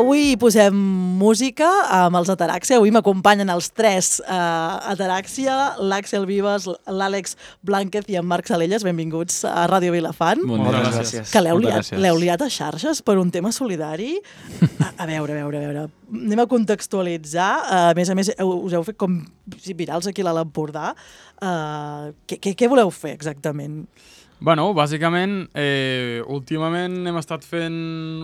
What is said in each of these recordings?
Avui posem música amb els Ataràxia. Avui m'acompanyen els tres Ataràxia, l'Àxel Vives, l'Àlex Blánquez i en Marc Salelles. Benvinguts a Ràdio Vilafant. Moltes gràcies. Que l'heu liat a xarxes per un tema solidari. A veure. Anem a contextualitzar. A més, us heu fet com virals aquí a l'Empordà. Què voleu fer exactament? Bueno, bàsicament, últimament hem estat fent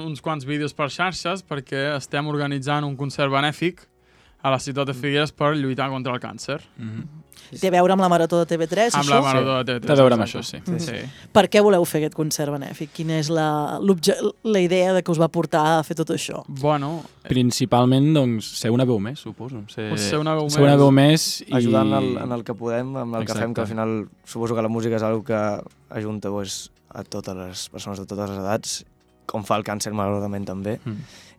uns quants vídeos per xarxes perquè estem organitzant un concert benèfic a la ciutat de Figueres per lluitar contra el càncer. Té a veure amb la Marató de TV3, això? Amb la Marató de TV3. Té a veure amb això, sí. Per què voleu fer aquest concert benèfic? Quina és la idea que us va portar a fer tot això? Bueno... Principalment, doncs, ser una veu més, suposo. Ser una veu més i... Ajudant en el que podem, amb el que fem, que al final suposo que la música és una que ajunta a totes les persones de totes les edats, com fa el càncer, malauradament, també.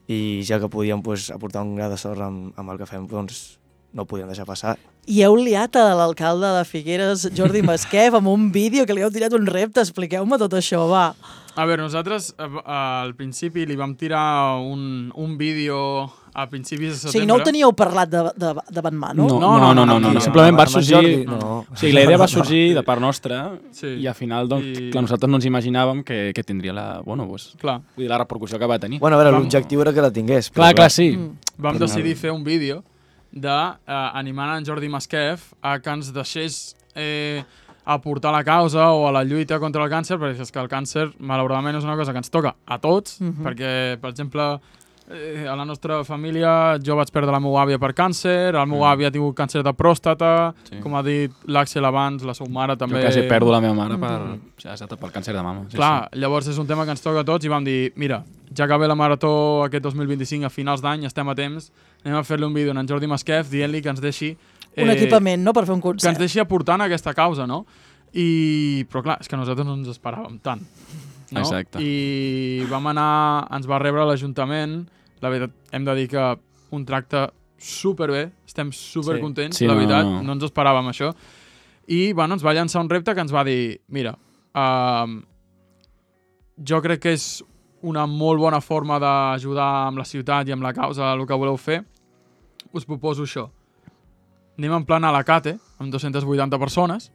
I ja que podíem aportar un gra de sorra amb el que fem, doncs no ho podíem deixar passar. I heu liat a l'alcalde de Figueres, Jordi Masquef, amb un vídeo que li heu tirat un repte. Expliqueu-me tot això, va. A veure, nosaltres al principi li vam tirar un vídeo a principis de setembre. O sigui, no ho teníeu parlat davant mà, no? No. Simplement va sorgir... O sigui, la idea va sorgir de part nostra i al final, doncs, clar, nosaltres no ens imaginàvem que tindria la repercussió que va tenir. Bueno, a veure, l'objectiu era que la tingués. Clar, sí. Vam decidir fer un vídeo d'animant en Jordi Masquef a que ens deixés aportar la causa o a la lluita contra el càncer, perquè és que el càncer, malauradament, és una cosa que ens toca a tots, perquè, per exemple, a la nostra família jo vaig perdre la meva àvia per càncer, el meu avi ha tingut càncer de pròstata, com ha dit l'Àxel abans, la seva mare també... Jo quasi perdo la meva mare pel càncer de mama. Clar, llavors és un tema que ens toca a tots i vam dir, mira, ja que ve la Marató aquest 2025 a finals d'any, estem a temps, anem a fer-li un vídeo a en Jordi Masquef dient-li que ens deixi... un equipament, no?, per fer un concert. Que ens deixi aportar en aquesta causa, no? Però clar, és que nosaltres no ens esperàvem tant. No? Exacte. I vam anar, ens va rebre l'Ajuntament, la veritat, hem de dir que un tracte superbé, estem supercontents, la veritat, no ens esperàvem això. I bueno, ens va llançar un repte que ens va dir, mira, jo crec que és una molt bona forma d'ajudar amb la ciutat i amb la causa el que voleu fer, us proposo això. Anem en plan a la Cate, amb 280 persones,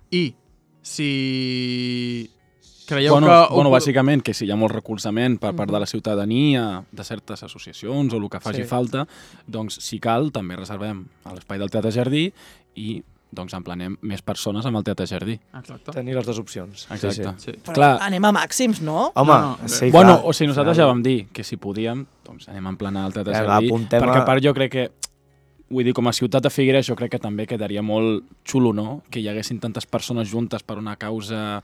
i si creieu que... Bueno, bàsicament, que si hi ha molt recolzament per part de la ciutadania, de certes associacions o el que faci falta, doncs, si cal, també reservem a l'espai del Teatre Jardí i doncs emplenem més persones amb el Teatre Jardí. Exacte. Tenir les dues opcions. Exacte. Sí. Però anem a màxims, no? Home, sí, clar. Bueno, o sigui, nosaltres ja vam dir que si podíem, doncs anem a emplenar el Teatre Jardí, perquè a part jo crec que vull dir, com a ciutat de Figueres jo crec que també quedaria molt xulo, no?, que hi haguessin tantes persones juntes per una causa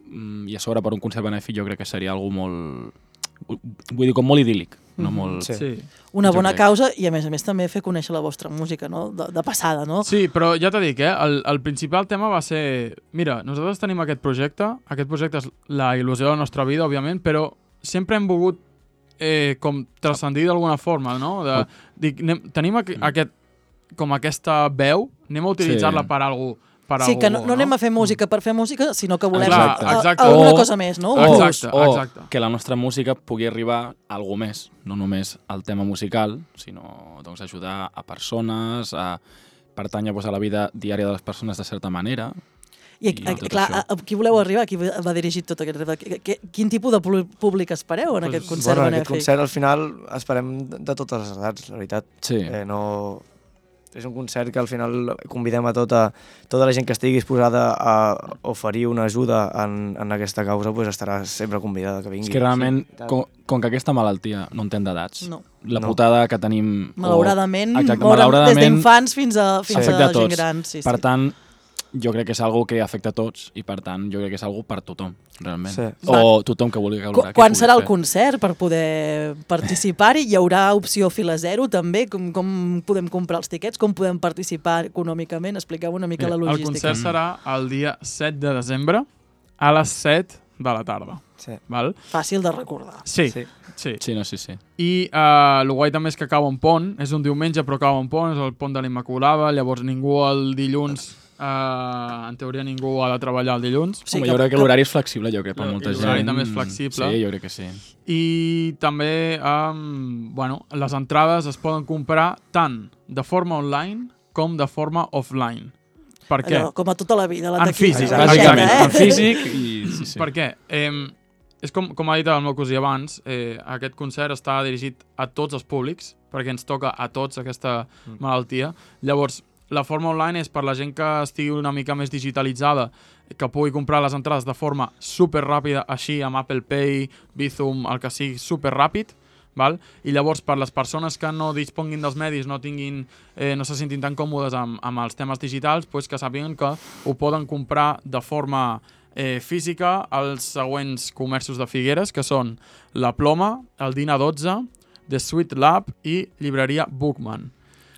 i a sobre per un concert benèfic, jo crec que seria algo molt... Vull dir, com molt idíl·lic. No molt... Sí. Una bona causa i, a més també, fer conèixer la vostra música, no?, de passada, no? Sí, però ja t'he dit, el principal tema va ser... Mira, nosaltres tenim aquest projecte és la il·lusió de la nostra vida, òbviament, però sempre hem volgut com transcendir d'alguna forma, no? Tenim aquesta veu, anem a utilitzar-la per alguna cosa. Sí, que no anem a fer música per fer música, sinó que volem alguna cosa més, no? Exacte. Que la nostra música pugui arribar a alguna més, no només al tema musical, sinó doncs, ajudar a persones, a pertànyer a la vida diària de les persones de certa manera. I clar, a qui voleu arribar? A qui va dirigit tot aquest repte? Quin tipus de públic espereu en aquest concert benèfic? En aquest concert, al final, esperem de totes les edats, la veritat. Sí. És un concert que al final convidem a tota la gent que estigui disposada a oferir una ajuda en aquesta causa, doncs estarà sempre convidada que vingui. És que realment, com que aquesta malaltia no entén d'edats, la putada que tenim... Malauradament, des d'infants fins a gent gran. Per tant, jo crec que és algo que afecta a tots i, per tant, jo crec que és algo per tothom, realment. Sí. O tothom que vulgui col·laborar. Quan serà el concert per poder participar-hi? Hi haurà opció fila zero, també? Com podem comprar els tiquets? Com podem participar econòmicament? Expliqueu una mica la logística. El concert serà el dia 7 de desembre a les 7 de la tarda. Sí. Val? Fàcil de recordar. Sí. I el guai també és que cau en pont, és un diumenge però cau en pont, és el pont de l'Immaculada, llavors ningú el dilluns en teoria ningú ha de treballar el dilluns. Sí, jo crec que l'horari és flexible, jo crec, per molta gent. L'horari també és flexible. Sí, jo crec que sí. I també, les entrades es poden comprar tant de forma online com de forma offline. Per què? Allò, com a tota la vida, la en físic, bàsicament. En físic i... Sí. Per què? És com ha dit el meu cosí abans, aquest concert està dirigit a tots els públics, perquè ens toca a tots aquesta malaltia. Llavors, la forma online és per la gent que estigui una mica més digitalitzada, que pugui comprar les entrades de forma superràpida, així amb Apple Pay, Bizum, el que sigui, superràpid, val? I llavors per les persones que no disponguin dels medis, no se sentin tan còmodes amb els temes digitals, doncs que sàpiguen que ho poden comprar de forma física als següents comerços de Figueres, que són La Ploma, el Dina 12, The Sweet Lab i llibreria Bookman.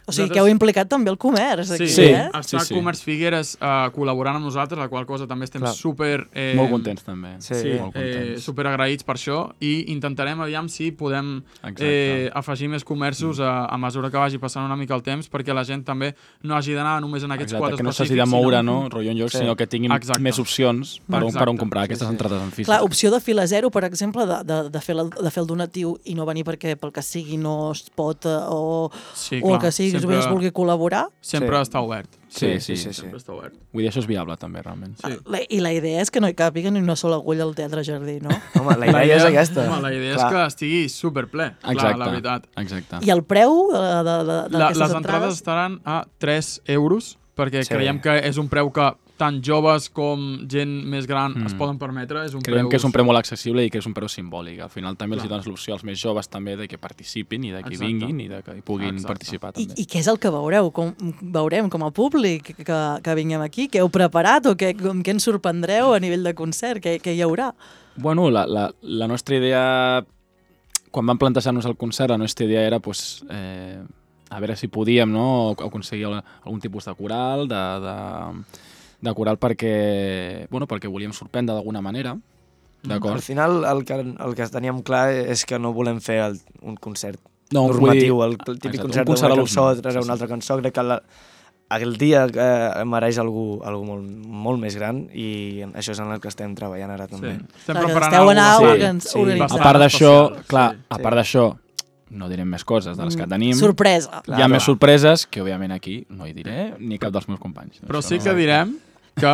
O sigui, que heu implicat també el comerç aquí, Està Comerç Figueres col·laborant amb nosaltres, la qual cosa també estem super... molt contents també. Super agraïts per això, i intentarem aviam si podem afegir més comerços a mesura que vagi passant una mica el temps, perquè la gent també no hagi d'anar només en aquests 4 específics. Que no s'hagi de moure, rotllo en lloc, sinó que tinguin més opcions per on comprar aquestes entrades en físic. Clar, opció de fila zero, per exemple, de fer el donatiu i no venir perquè pel que sigui no es pot o el que sigui, si es vulgui col·laborar. Sempre està obert. Sí. Sempre està obert. Vull dir, això és viable també, realment. I la idea és que no hi càpiga ni una sola agulla al Teatre Jardí, no? Home, la idea és aquesta. La idea és que estigui superple, la veritat. Exacte. I el preu d'aquestes entrades? Les entrades estaran a 3 euros, perquè creiem que és un preu que tant joves com gent més gran es poden permetre. Creiem que és un preu molt accessible i que és un preu simbòlic. Al final també els dones l'opció als més joves també de que participin i de que vinguin i de que puguin participar també. I què és el que veureu? Veurem com a públic que vinguem aquí? Què heu preparat o què ens sorprendreu a nivell de concert? Què hi haurà? Bueno, la nostra idea, quan vam plantejar-nos el concert, la nostra idea era a veure si podíem aconseguir algun tipus de coral, de coral perquè volíem sorprendre d'alguna manera. Al final el que teníem clar és que no volem fer un concert normatiu, el típic concert d'una cançó, treure una altra cançó. Crec que el dia mereix algú molt més gran i això és en el que estem treballant ara també. Estem preparant alguna cosa. A part d'això, no direm més coses de les que tenim. Sorpresa. Hi ha més sorpreses que, òbviament, aquí no hi diré ni cap dels meus companys. Però sí que direm que...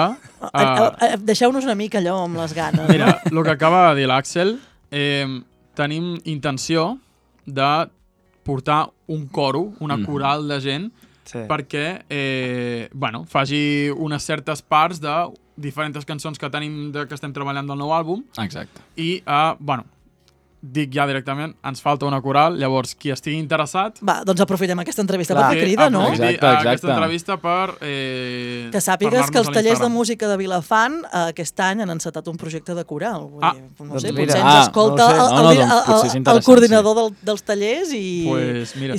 Deixeu-nos una mica allò amb les ganes. Mira, el que acaba de dir l'Àxel, tenim intenció de portar un coro, una coral de gent, perquè faci unes certes parts de diferents cançons que tenim que estem treballant del nou àlbum. Exacte. I, dic ja directament, ens falta una coral, llavors qui estigui interessat... Va, doncs aprofitem aquesta entrevista per fer crida, no? Exacte. Aquesta entrevista per... que sàpigues que els tallers de música de Vilafant aquest any han encetat un projecte de coral. No sé, potser ens escolta el coordinador dels tallers i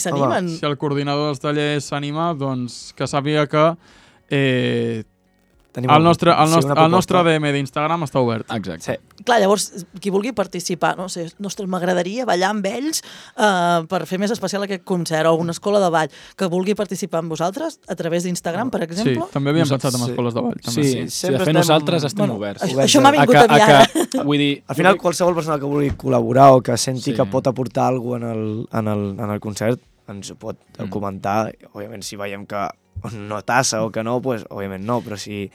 s'animen. Si el coordinador dels tallers s'anima, doncs que sàpiga que el nostre DM d'Instagram està obert. Exacte. Clar, llavors, qui vulgui participar, m'agradaria ballar amb ells per fer més especial aquest concert, o una escola de ball, que vulgui participar amb vosaltres a través d'Instagram, per exemple. Sí, també havíem pensat en escoles de ball. Sí, de fet nosaltres estem oberts. Això m'ha vingut a mi ara. Al final, qualsevol persona que vulgui col·laborar o que senti que pot aportar alguna cosa en el concert, ens ho pot comentar. Òbviament, si veiem que no tassa o que no, doncs òbviament no, però si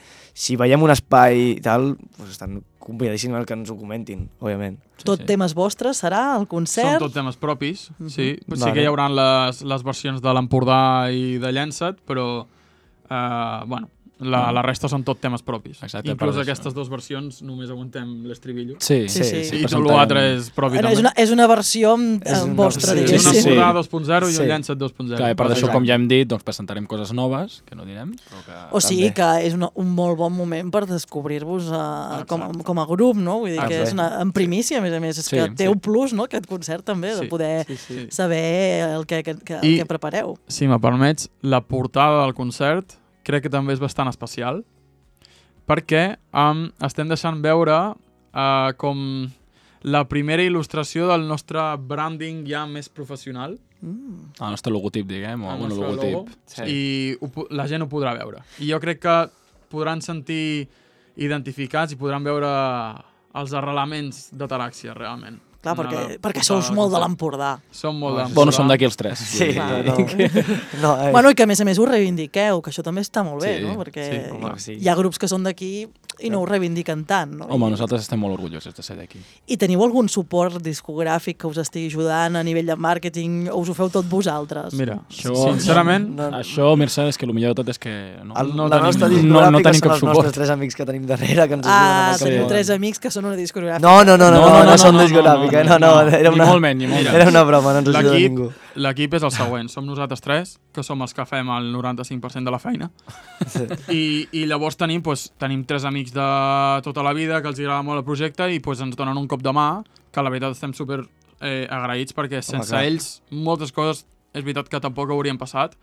veiem un espai i tal, doncs estan convidadíssims que ens ho comentin, òbviament. Tot temes vostres serà el concert? Són tot temes propis, sí. Sí que hi haurà les versions de l'Empordà i de Llençat, però la resta són tot temes propis. Exacte, inclús aquestes dues versions només aguantem l'estribillo. Sí. I tot l'altre és propi també. És una versió vostra, diguéssim. És una Empordà 2.0 i un Llençat 2.0. Clar, per això, com ja hem dit, presentarem coses noves, que no direm. O sigui que és un molt bon moment per descobrir-vos com a grup, no? Vull dir que és en primícia, a més, és que té un plus, no?, aquest concert també, de poder saber el que prepareu. Si me permets, la portada del concert crec que també és bastant especial, perquè estem deixant veure com la primera il·lustració del nostre branding ja més professional. El nostre logotip, diguem, o El un nostre logotip. logo, i la gent ho podrà veure. I jo crec que podran sentir identificats i podran veure els arrelaments de Taràxia, realment. Clar, perquè sous molt de l'Empordà. Som molt de l'Empordà. Bueno, som d'aquí els tres. Sí, Bueno, i que a més ho reivindiqueu, que això també està molt bé, no? Perquè hi ha grups que són d'aquí i no ho reivindiquen tant, no? Home, nosaltres estem molt orgullosos de ser d'aquí. I teniu algun suport discogràfic que us estigui ajudant a nivell de màrqueting o us ho feu tot vosaltres? Mira, sincerament... Això, Mircea, és que el millor de tot és que la nostra tenim discogràfica cap són els suport. nostres 3 amics que tenim darrere, que ens ajuden. Teniu 3 amics que són una discogràfica. No són discogràfica, era una broma, no ens ajuda ningú. L'equip és el següent, som nosaltres 3, que som els que fem el 95% de la feina, i llavors tenim 3 amics de tota la vida que els agrada molt el projecte i ens donen un cop de mà, que la veritat estem super agraïts perquè sense ells moltes coses és veritat que tampoc haurien passat,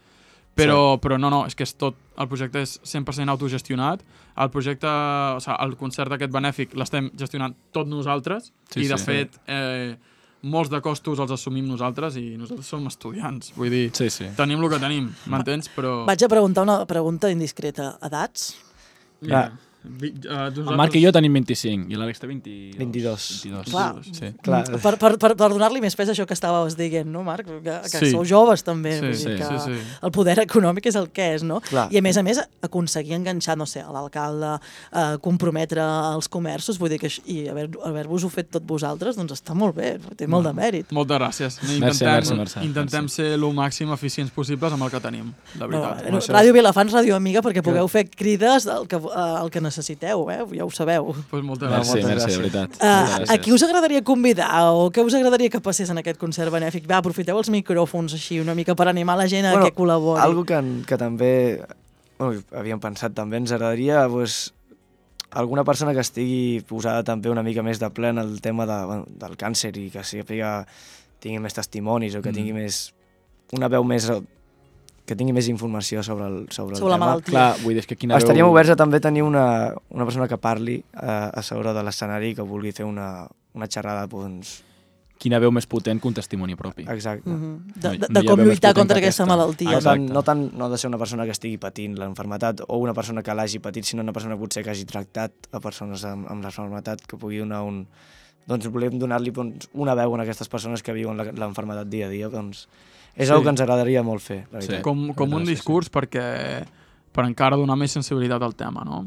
però no, és que és tot, el projecte és 100% autogestionat, el projecte, el concert aquest benèfic l'estem gestionant tot nosaltres i de fet molts de costos els assumim nosaltres i nosaltres som estudiants, vull dir, tenim el que tenim, m'entens? Però... Vaig a preguntar una pregunta indiscreta. Edats? Mira, el Marc i jo tenim 25 i l'Àlex té 22. Clar. Per donar-li més pes a això que estàveu dient, no, Marc? Que sou joves també. El poder econòmic és el que és, no? I a més, aconseguir enganxar, no sé, a l'alcalde, comprometre els comerços, vull dir que i haver-vos-ho fet tot vosaltres, doncs està molt bé, té molt de mèrit. Moltes gràcies. Intentem ser el màxim eficients possibles amb el que tenim, de veritat. Ràdio Vilafant, ràdio amiga, perquè pugueu fer crides el que necessiteu, ja ho sabeu. Moltes gràcies. Merci, de veritat. A qui us agradaria convidar o què us agradaria que passés en aquest concert benèfic? Va, aprofiteu els micròfons així una mica per animar la gent a que col·labori. Algo que també havíem pensat també, ens agradaria alguna persona que estigui posada també una mica més de ple en el tema del càncer i que tingui més testimonis o que tingui una veu més... que tingui més informació sobre el tema. La malaltia. Clar, vull dir que estaríem oberts a també tenir una persona que parli a sobre de l'escenari i que vulgui fer una xerrada, doncs... Quina veu més potent que un testimoni propi. Exacte. De com lluitar contra aquesta malaltia. No ha de ser una persona que estigui patint l'enfermetat o una persona que l'hagi patit, sinó una persona potser que hagi tractat a persones amb l'enfermetat, que pugui donar doncs volem donar-li una veu a aquestes persones que viuen l'enfermetat dia a dia, doncs... És una que ens agradaria molt fer, la veritat. Com un discurs per encara donar més sensibilitat al tema, no?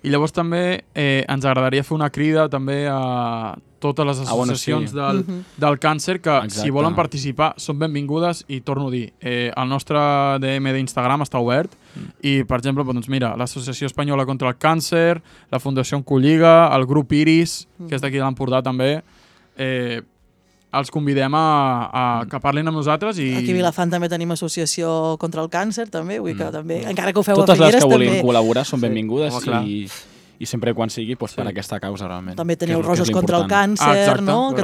I llavors també ens agradaria fer una crida també a totes les associacions del càncer que si volen participar són benvingudes i torno a dir, el nostre DM d'Instagram està obert i per exemple, doncs mira, l'Associació Espanyola contra el Càncer, la Fundació Oncolliga, el grup Iris, que és d'aquí de l'Empordà també, els convidem a que parlin amb nosaltres i... Aquí a Vilafant també tenim associació contra el càncer, també, vull que també, encara que ho feu a Figueres, també... Totes les que vulguin col·laborar són benvingudes i sempre quan sigui per aquesta causa, realment. També teniu Roses contra el càncer, no? Que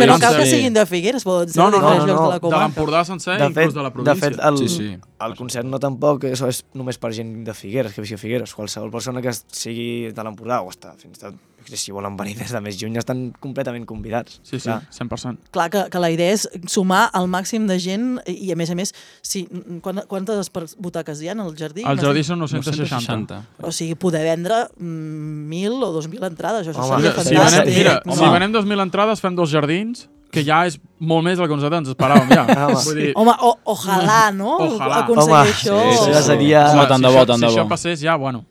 no cal que siguin de Figueres, poden ser de diferents llocs de la comarca. De l'Empordà sencer i inclús de la província. De fet, el concert no tampoc és només per gent de Figueres, que visqui a Figueres. Qualsevol persona que sigui de l'Empordà o fins i tot si volen venir des de més lluny estan completament convidats. Sí, 100%. Clar que la idea és sumar el màxim de gent i a més, quantes butaques hi ha al jardí? Al jardí són 960. O sigui, poder vendre 1.000 o 2.000 entrades, això seria fantàstic. Mira, si venem 2.000 entrades fem 2 jardins, que ja és molt més del que nosaltres ens esperàvem, ja. Home, ojalà, no? Aconseguir això. Això seria... Tant de bo. Si això passés, ja, bueno...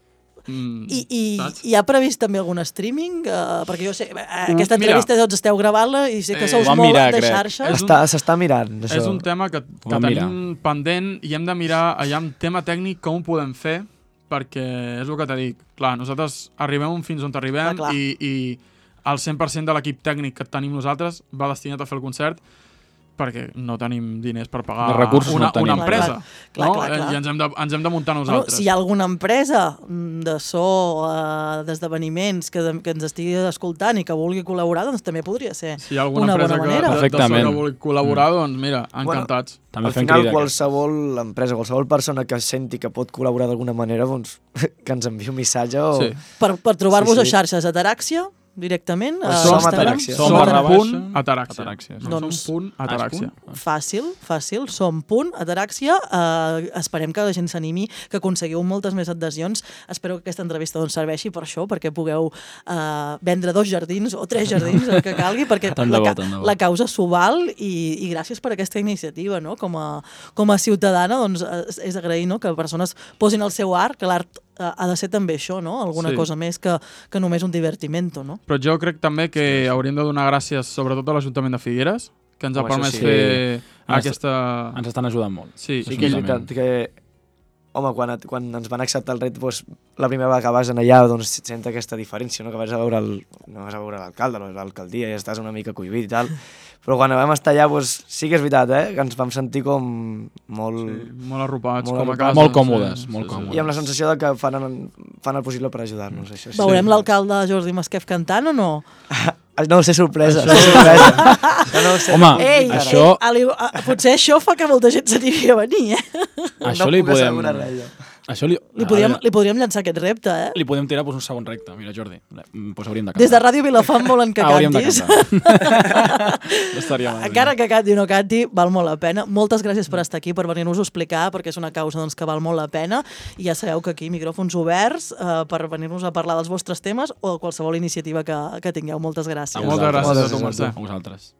I hi ha previst també algun streaming? Perquè jo sé, aquesta entrevista tots esteu gravant-la i sé que sou molt de xarxa. S'està mirant, això. És un tema que tenim pendent i hem de mirar allà amb tema tècnic com ho podem fer, perquè és el que t'he dit. Clar, nosaltres arribem fins on arribem i el 100% de l'equip tècnic que tenim nosaltres va destinat a fer el concert perquè no tenim diners per pagar una empresa. I ens hem de muntar nosaltres. Si hi ha alguna empresa de so, d'esdeveniments que ens estigui escoltant i que vulgui col·laborar, doncs també podria ser una bona manera. Si hi ha alguna empresa que vulgui col·laborar, doncs mira, encantats. Al final, qualsevol empresa, qualsevol persona que senti que pot col·laborar d'alguna manera, doncs que ens enviï un missatge o... Per trobar-vos a xarxes, Ataraxia, directament? Som Ataràxia. Som.ataràxia. Doncs Som.ataràxia. Fàcil, som.ataràxia. Esperem que la gent s'animi, que aconseguiu moltes més adhesions. Espero que aquesta entrevista doncs, serveixi per això, perquè pugueu vendre 2 jardins o 3 jardins, el que calgui, perquè la causa s'ho val i gràcies per aquesta iniciativa, no? Com a ciutadana doncs, és agrair, no? Que persones posin el seu art, que l'art ha de ser també això, no? Alguna cosa més que només un divertimento, no? Però jo crec també que hauríem de donar gràcies sobretot a l'Ajuntament de Figueres, que ens ha permès fer aquesta... Ens estan ajudant molt. Sí que és veritat que, home, quan ens van acceptar el repte, doncs, la primera vegada que vas allà doncs, sent aquesta diferència, no? Que vas a veure no vas a veure l'alcalde, l'alcaldia, i estàs una mica cohibit i tal. Però quan vam estar allà, doncs, sí que és veritat, que ens vam sentir com molt... Sí, molt arropats, com a casa. Molt còmodes. I amb la sensació de que fan el possible per ajudar-nos. Això, veurem l'alcalde Jordi Masquef cantant o no? No ho sé, sorpresa. Home, això... Potser això fa que molta gent s'animi a venir, Això li podem... Li podríem llançar aquest repte, Li podem tirar un segon repte. Mira, Jordi, doncs hauríem de cantar. Des de Ràdio Vilafant volen que cantis. Encara que canti o no canti, val molt la pena. Moltes gràcies per estar aquí, per venir-nos a explicar, perquè és una causa doncs, que val molt la pena. I ja sabeu que aquí micròfons oberts per venir-nos a parlar dels vostres temes o de qualsevol iniciativa que tingueu. Moltes gràcies. Moltes gràcies a tu, Mercè. A vosaltres.